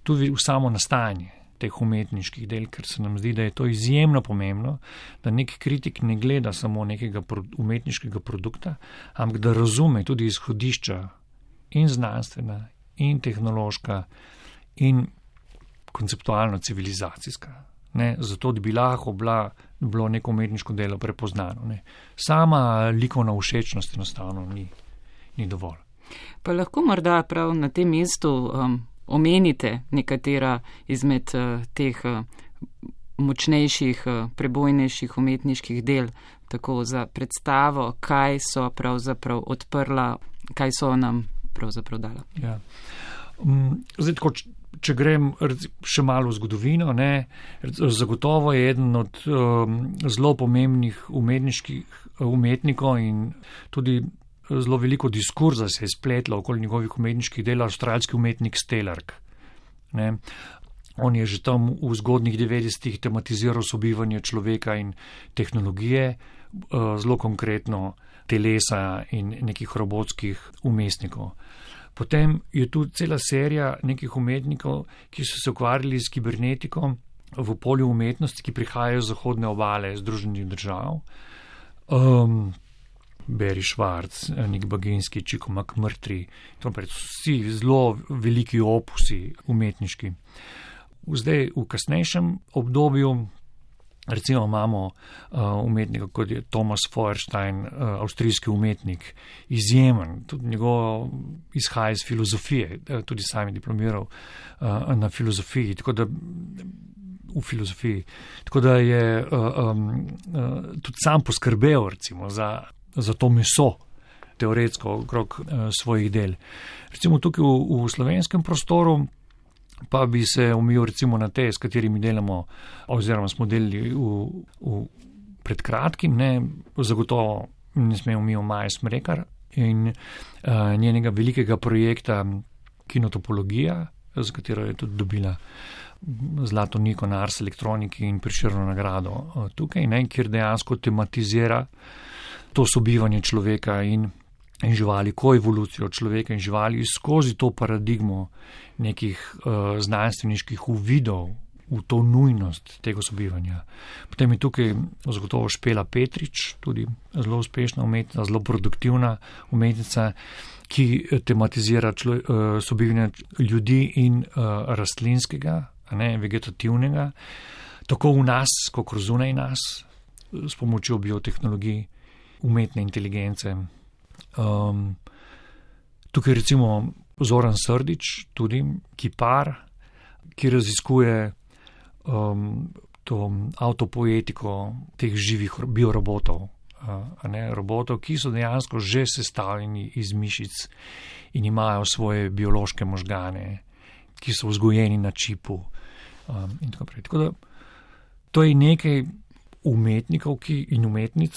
tudi v samo nastajanje teh umetniških del, ker se nam zdi, da je to izjemno pomembno, da nek kritik ne gleda samo nekega umetniškega produkta, ampak da razume tudi izhodišča in znanstvena, in tehnološka, in konceptualno civilizacijska. Ne, zato, da bi lahko bila, bilo neko umetniško delo prepoznano. Ne. Sama likovna všečnost enostavno ni, ni dovolj. Pa lahko morda prav na tem mestu um, omenite nekatera izmed uh, teh uh, močnejših, uh, prebojnejših umetniških del, tako za predstavo, kaj so pravzaprav odprla, kaj so nam pravzaprav dala. Ja. Um, zdaj, tako, če grem še malo v zgodovino, ne, zagotovo je eden od um, zelo pomembnih umetniških umetnikov in tudi zelo veliko diskurza se je spletlo okoli njegovih umetniških del, avstralski umetnik Stelarc. Ne. On je že tam v zgodnjih devetdesetih tematiziral sobivanje človeka in tehnologije, zelo konkretno telesa in nekih robotskih umestnikov. Potem je tu cela serija nekih umetnikov, ki so se ukvarjali s kibernetiko v polju umetnosti, ki prihajajo z zahodne obale Združenih držav. Um, Barry Schwartz, Nick Baginski, Chico McMurtry, vsi zelo veliki opusi umetniški. Zdaj v kasnejšem obdobju recimo imamo uh, umetnika, kot je Thomas Feuerstein, uh, avstrijski umetnik, izjemen, tudi njegov izhaja iz filozofije, tudi sam je diplomiral uh, na filozofiji, tako da v filozofiji, tako da je uh, um, uh, tudi sam poskrbel recimo za za to meso, teoretsko, okrog uh, svojih del. Recimo tukaj v, v slovenskem prostoru pa bi se omejil recimo na te, s katerimi delamo, oziroma smo delali v, v pred kratkim, ne, zagotovo ne smemo omejil Maje Smrekar in uh, njenega velikega projekta Kinotopologija, za katero je tudi dobila zlato Niko na Ars elektroniki in Prešernovo nagrado uh, tukaj, ne, kjer dejansko tematizira to sobivanje človeka in, in živali, koevolucijo človeka in živali skozi to paradigmo nekih uh, znanstveniških uvidov v to nujnost tega sobivanja. Potem je tukaj zagotovo Špela Petrič, tudi zelo uspešna umetnica, zelo produktivna umetnica, ki tematizira člo, uh, sobivanje ljudi in uh, rastlinskega, a ne, vegetativnega, tako v nas, kot zunaj nas, s pomočjo biotehnologij, umetne inteligence. Um, tukaj recimo Zoran Srdić, tudi kipar, ki raziskuje um, to avtopoetiko teh živih biorobotov, a ne, robotov, ki so dejansko že sestavljeni iz mišic in imajo svoje biološke možgane, ki so vzgojeni na čipu um, in tako naprej. Tako da to je nekaj umetnikov ki, in umetnic,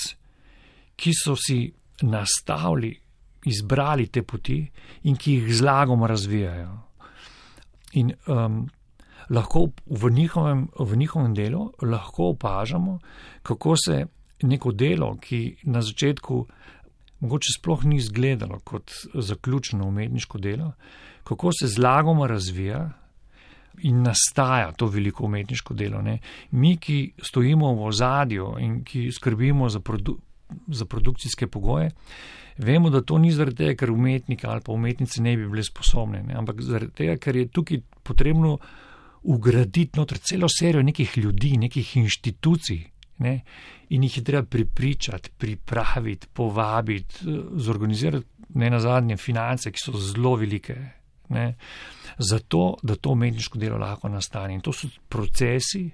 ki so si nastavili, izbrali te poti in ki jih zlagom razvijajo. In um, lahko v njihovem, v njihovem delu lahko opažamo, kako se neko delo, ki na začetku mogoče sploh ni izgledalo kot zaključeno umetniško delo, kako se zlagoma razvija in nastaja to veliko umetniško delo. Ne. Mi, ki stojimo v ozadju in ki skrbimo za, produ za produkcijske pogoje, vemo, da to ni zaradi tega, ker umetniki ali pa umetnice ne bi bile sposobne, ne, ampak zaradi tega, ker je tukaj potrebno ugraditi noter celo serijo nekih ljudi, nekih inštitucij, ne, in jih je treba pripričati, pripraviti, povabiti, zorganizirati, ne nazadnje, finance, ki so zelo velike, ne, zato, da to umetniško delo lahko nastane. In to so procesi,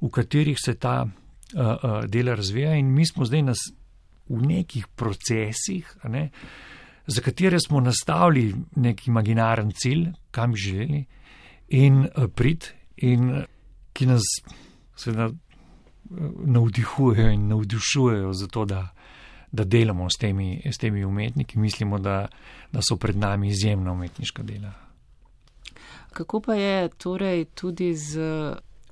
v katerih se ta uh, uh, dela razvija in mi smo zdaj nas v nekih procesih, ne, za katere smo nastavili nek imaginaren cilj, kam bi želeli, in uh, prid, in uh, ki nas seveda navdihujejo in navdušujejo za to, da, da delamo s temi, s temi umetniki. Mislimo, da, da so pred nami izjemna umetniška dela. Kako pa je torej tudi z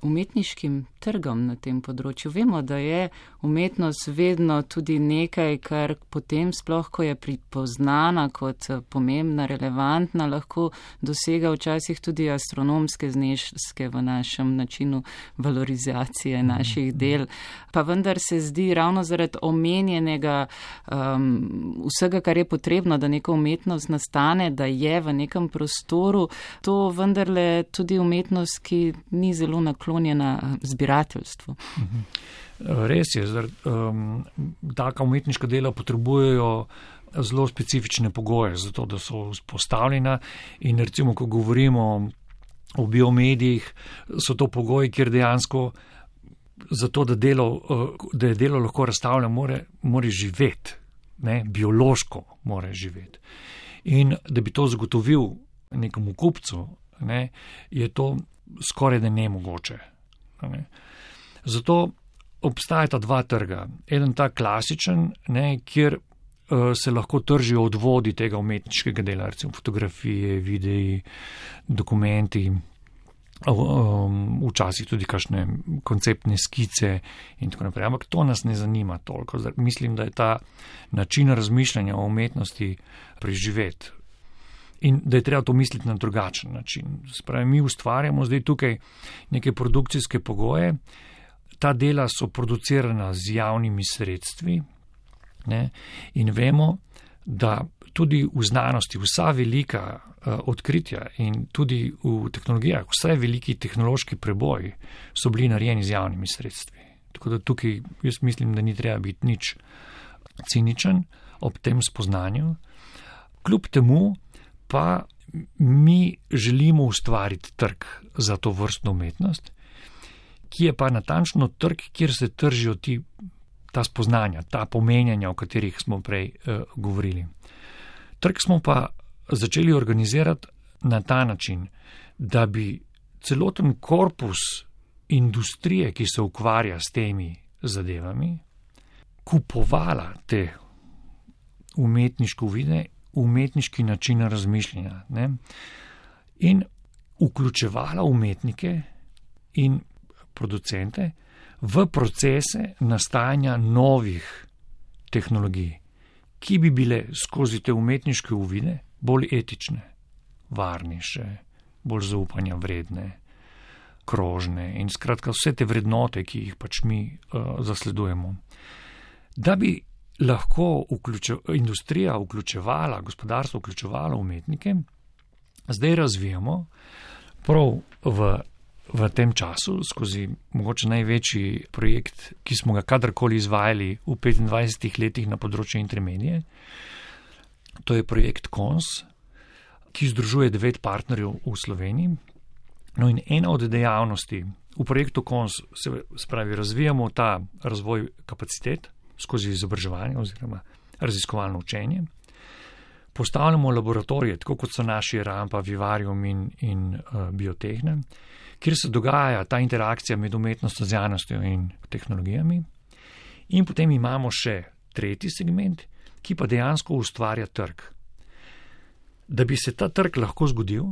umetniškim trgom na tem področju? Vemo, da je umetnost vedno tudi nekaj, kar potem sploh, ko je pripoznana kot pomembna, relevantna, lahko dosega včasih tudi astronomske zneske v našem načinu valorizacije naših del. Pa vendar se zdi ravno zaradi omenjenega um, vsega, kar je potrebno, da neka umetnost nastane, da je v nekem prostoru, to vendarle tudi umetnost, ki ni zelo naklonjena zbirateljstvu. Mhm. Res je, um, taka umetniška dela potrebujejo zelo specifične pogoje za to, da so vzpostavljena in recimo, ko govorimo o biomedijih, so to pogoji, kjer dejansko za to, da, delo, da je delo lahko razstavljeno, more, more živeti, ne, biološko more živeti. In da bi to zagotovil nekemu kupcu, ne, je to skoraj da nemogoče. Ne. Zato obstajata dva trga. Eden ta klasičen, ne, kjer uh, se lahko tržijo odvodi tega umetniškega dela, recimo fotografije, videi, dokumenti, um, včasih tudi kakšne konceptne skice in tako naprej. Ampak to nas ne zanima toliko. Mislim, da je ta način razmišljanja o umetnosti preživeti. In da je treba to misliti na drugačen način. Spravi, mi ustvarjamo zdaj tukaj neke produkcijske pogoje. Ta dela so producirana z javnimi sredstvi, ne, in vemo, da tudi v znanosti vsa velika uh, odkritja in tudi v tehnologijah, vse veliki tehnološki preboji so bili narejeni z javnimi sredstvi. Tako da tukaj jaz mislim, da ni treba biti nič ciničen ob tem spoznanju. Kljub temu pa mi želimo ustvariti trg za to vrstno umetnost, ki je pa natančno trg, kjer se tržijo ti, ta spoznanja, ta pomenjanja, o katerih smo prej uh, govorili. Trg smo pa začeli organizirati na ta način, da bi celoten korpus industrije, ki se ukvarja s temi zadevami, kupovala te umetniške uvide, umetniški način razmišljanja, ne, in vključevala umetnike in producente v procese nastajanja novih tehnologij, ki bi bile skozi te umetniške uvide bolj etične, varnejše, bolj zaupanja vredne, krožne in skratka vse te vrednote, ki jih pač mi uh, zasledujemo. Da bi lahko vključe, industrija vključevala, gospodarstvo vključevalo umetnike, zdaj razvijamo prav v v tem času, skozi mogoče največji projekt, ki smo ga kadarkoli izvajali v petindvajsetih letih na področju intermedije. To je projekt K O N S, ki združuje devet partnerjev v Sloveniji No in ena od dejavnosti v projektu Kons se spravi, razvijamo ta razvoj kapacitet skozi izobraževanje oziroma raziskovalno učenje. Postavljamo laboratorije, tako kot so naši Rampa, Vivarium in, in uh, Biotehne, kjer se dogaja ta interakcija med umetnostjo, znanostjo in tehnologijami. In potem imamo še tretji segment, ki pa dejansko ustvarja trg. Da bi se ta trg lahko zgodil,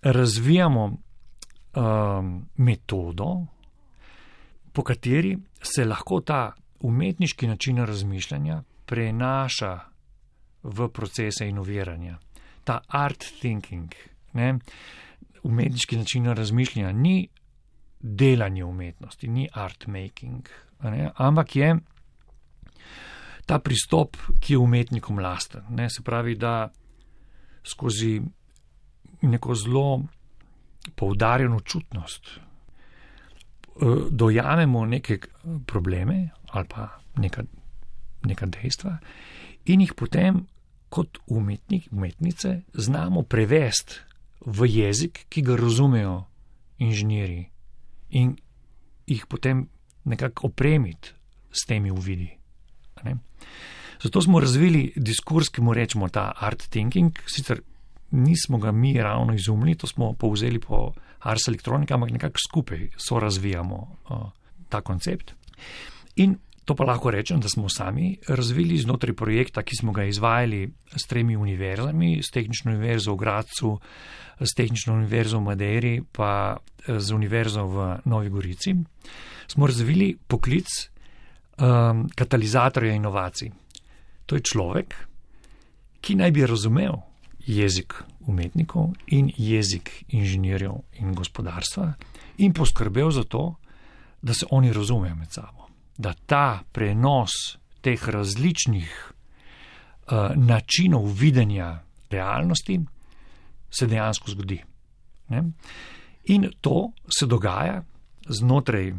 razvijamo um, metodo, po kateri se lahko ta umetniški način razmišljanja prenaša v procese inoviranja. Ta art thinking, ne, umetniški način razmišljanja ni delanje umetnosti, ni art making, ne, ampak je ta pristop, ki je umetnikom lasten. Ne, se pravi, da skozi neko zelo poudarjeno čutnost dojamemo neke probleme ali pa neka, neka dejstva in jih potem kot umetnik, umetnice znamo prevesti v jezik, ki ga razumejo inženirji in jih potem nekako opremiti s temi uvidi. Ne? Zato smo razvili diskurs, ki mu rečemo ta art thinking, sicer nismo ga mi ravno izumili, to smo povzeli po Ars Electronica, ampak nekako skupaj so razvijamo uh, ta koncept. In to pa lahko rečem, da smo sami razvili znotraj projekta, ki smo ga izvajali s tremi univerzami, s Tehnično univerzo v Gradcu, s Tehnično univerzo v Madeiri, pa z univerzo v Novi Gorici. Smo razvili poklic um, katalizatorja inovacij. To je človek, ki naj bi razumel jezik umetnikov in jezik inženirjev in gospodarstva in poskrbel za to, da se oni razumejo med sabo. Da ta prenos teh različnih uh, načinov videnja realnosti se dejansko zgodi. Ne? In to se dogaja znotraj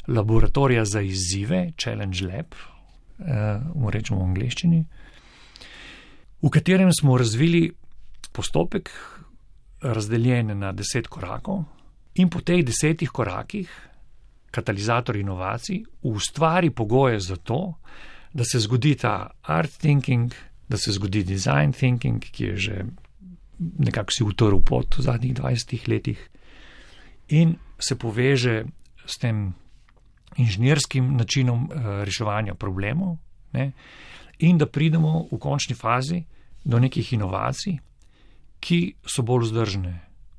laboratorija za izzive, Challenge Lab, uh, rečemo v angleščini, v katerem smo razvili postopek razdeljen na deset korakov in po teh desetih korakih katalizator inovacij ustvari pogoje za to, da se zgodi ta art thinking, da se zgodi design thinking, ki je že nekako si utrl pot v zadnjih dvajsetih letih in se poveže s tem inženirskim načinom reševanja problemov, ne, in da pridemo v končni fazi do nekih inovacij, ki so bolj vzdržne,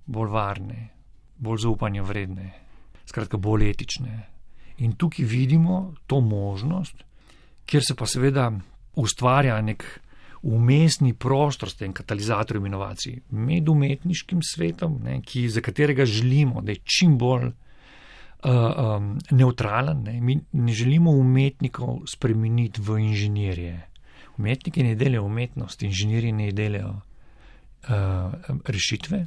bolj varne, bolj zaupanja vredne, skratka bolj etične. In tukaj vidimo to možnost, kjer se pa seveda ustvarja nek umestni prostor s tem katalizatorjem inovacij med umetniškim svetom, ne, ki, za katerega želimo, da je čim bolj uh, um, neutralen. Ne. Mi ne želimo umetnikov spremeniti v inženirje. Umetniki ne delajo umetnost, inženirji ne delajo uh, rešitve.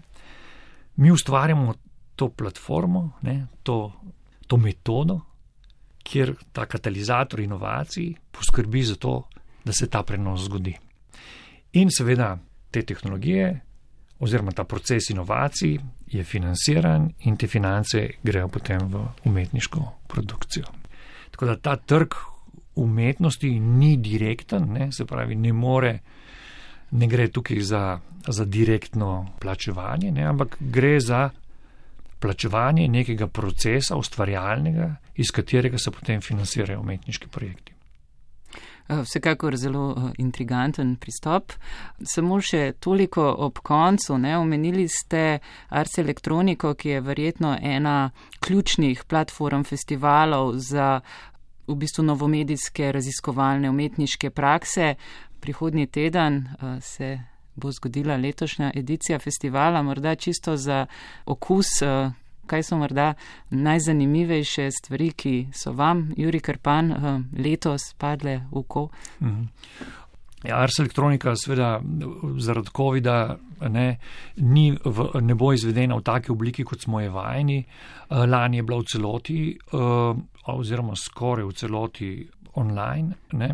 Mi ustvarjamo to platformo, ne, to, to metodo, kjer ta katalizator inovacij poskrbi za to, da se ta prenos zgodi. In seveda te tehnologije oziroma ta proces inovacij je financiran in te finance grejo potem v umetniško produkcijo. Tako da ta trg umetnosti ni direkten, ne, se pravi, ne more, ne gre tukaj za, za direktno plačevanje, ne, ampak gre za plačevanje nekega procesa ustvarjalnega, iz katerega se potem financirajo umetniški projekti. Vsekakor zelo intriganten pristop. Samo še toliko ob koncu, ne, omenili ste Ars Electronico, ki je verjetno ena ključnih platform festivalov za v bistvu novomedijske raziskovalne umetniške prakse. Prihodnji teden uh, se bo zgodila letošnja edicija festivala, morda čisto za okus, uh, kaj so morda najzanimivejše stvari, ki so vam, Jurij Krpan, uh, letos padle v oko? Mm-hmm. Ja, Ars Electronica seveda zaradi covida ne, ni v, ne bo izvedena v taki obliki, kot smo je vajeni. Lani je bila v celoti oziroma skoraj v celoti online. Ne.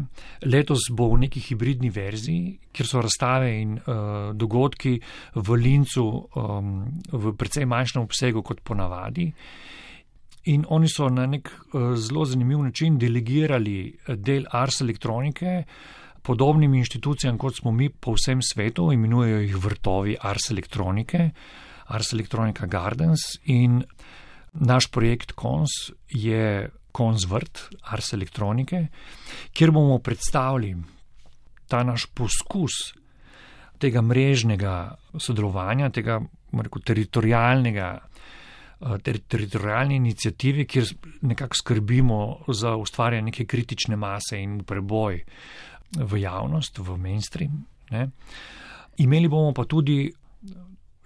Letos bo v neki hibridni verziji, kjer so razstave in uh, dogodki v Lincu um, v precej manjšem obsegu kot ponavadi. In oni so na nek uh, zelo zanimiv način delegirali del Ars elektronike podobnim inštitucijam, kot smo mi po vsem svetu, imenujejo jih vrtovi Ars elektronike, Ars Electronica Gardens, in naš projekt Kons je Kons vrt Ars elektronike, kjer bomo predstavili ta naš poskus tega mrežnega sodelovanja, tega rekel, teritorijalnega, ter, teritorijalne inicijative, kjer nekako skrbimo za ustvarjanje neke kritične mase in preboj v javnost, v mainstream. Ne. Imeli bomo pa tudi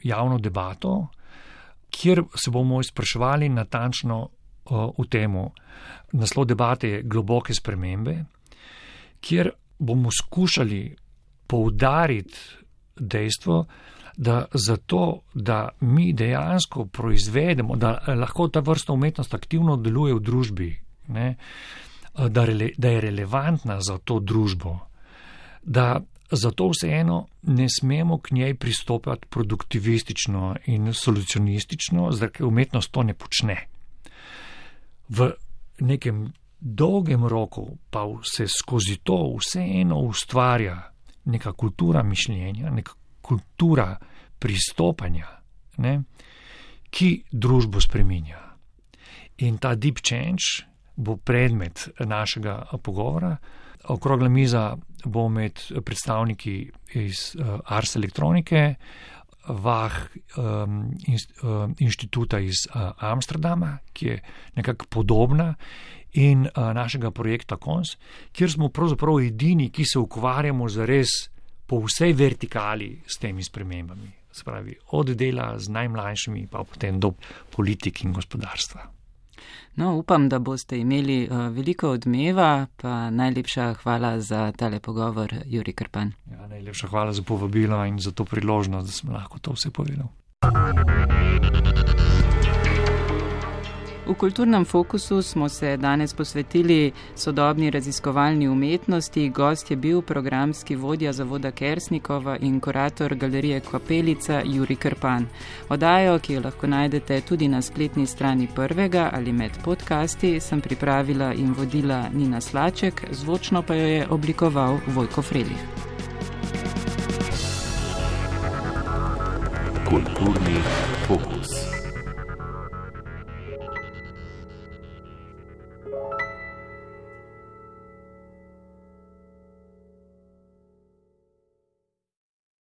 javno debato, kjer se bomo izpraševali natančno uh, v temu. Naslov debate je Globoke spremembe, kjer bomo skušali poudariti dejstvo, da zato, da mi dejansko proizvedemo, da lahko ta vrsta umetnost aktivno deluje v družbi, ne, da, rele, da je relevantna za to družbo, da zato vseeno ne smemo k njej pristopati produktivistično in solucionistično, ker umetnost to ne počne. V nekem dolgem roku pa se skozi to vseeno ustvarja neka kultura mišljenja, neka kultura pristopanja, ne, ki družbo spreminja. In ta deep change bo predmet našega pogovora. Okrogla miza bo med predstavniki iz uh, Ars elektronike, Vah um, inst, uh, inštituta iz uh, Amsterdama, ki je nekako podobna, in uh, našega projekta Kons, kjer smo pravzaprav edini, ki se ukvarjamo zares po vsej vertikali s temi spremembami. Se pravi, od dela z najmlajšimi pa potem do politik in gospodarstva. No, upam, da boste imeli uh, veliko odmeva, pa najlepša hvala za tale pogovor, Jurij Krpan. Ja, najlepša hvala za povabilo in za to priložnost, da sem lahko to vse povedal. V Kulturnem fokusu smo se danes posvetili sodobni raziskovalni umetnosti. Gost je bil programski vodja Zavoda Kersnikova in kurator galerije Kapelica Jurij Krpan. Oddajo, ki jo lahko najdete tudi na spletni strani Prvega ali med podcasti, sem pripravila in vodila Nina Slaček, zvočno pa jo je oblikoval Vojko Frelih. Kulturni fokus.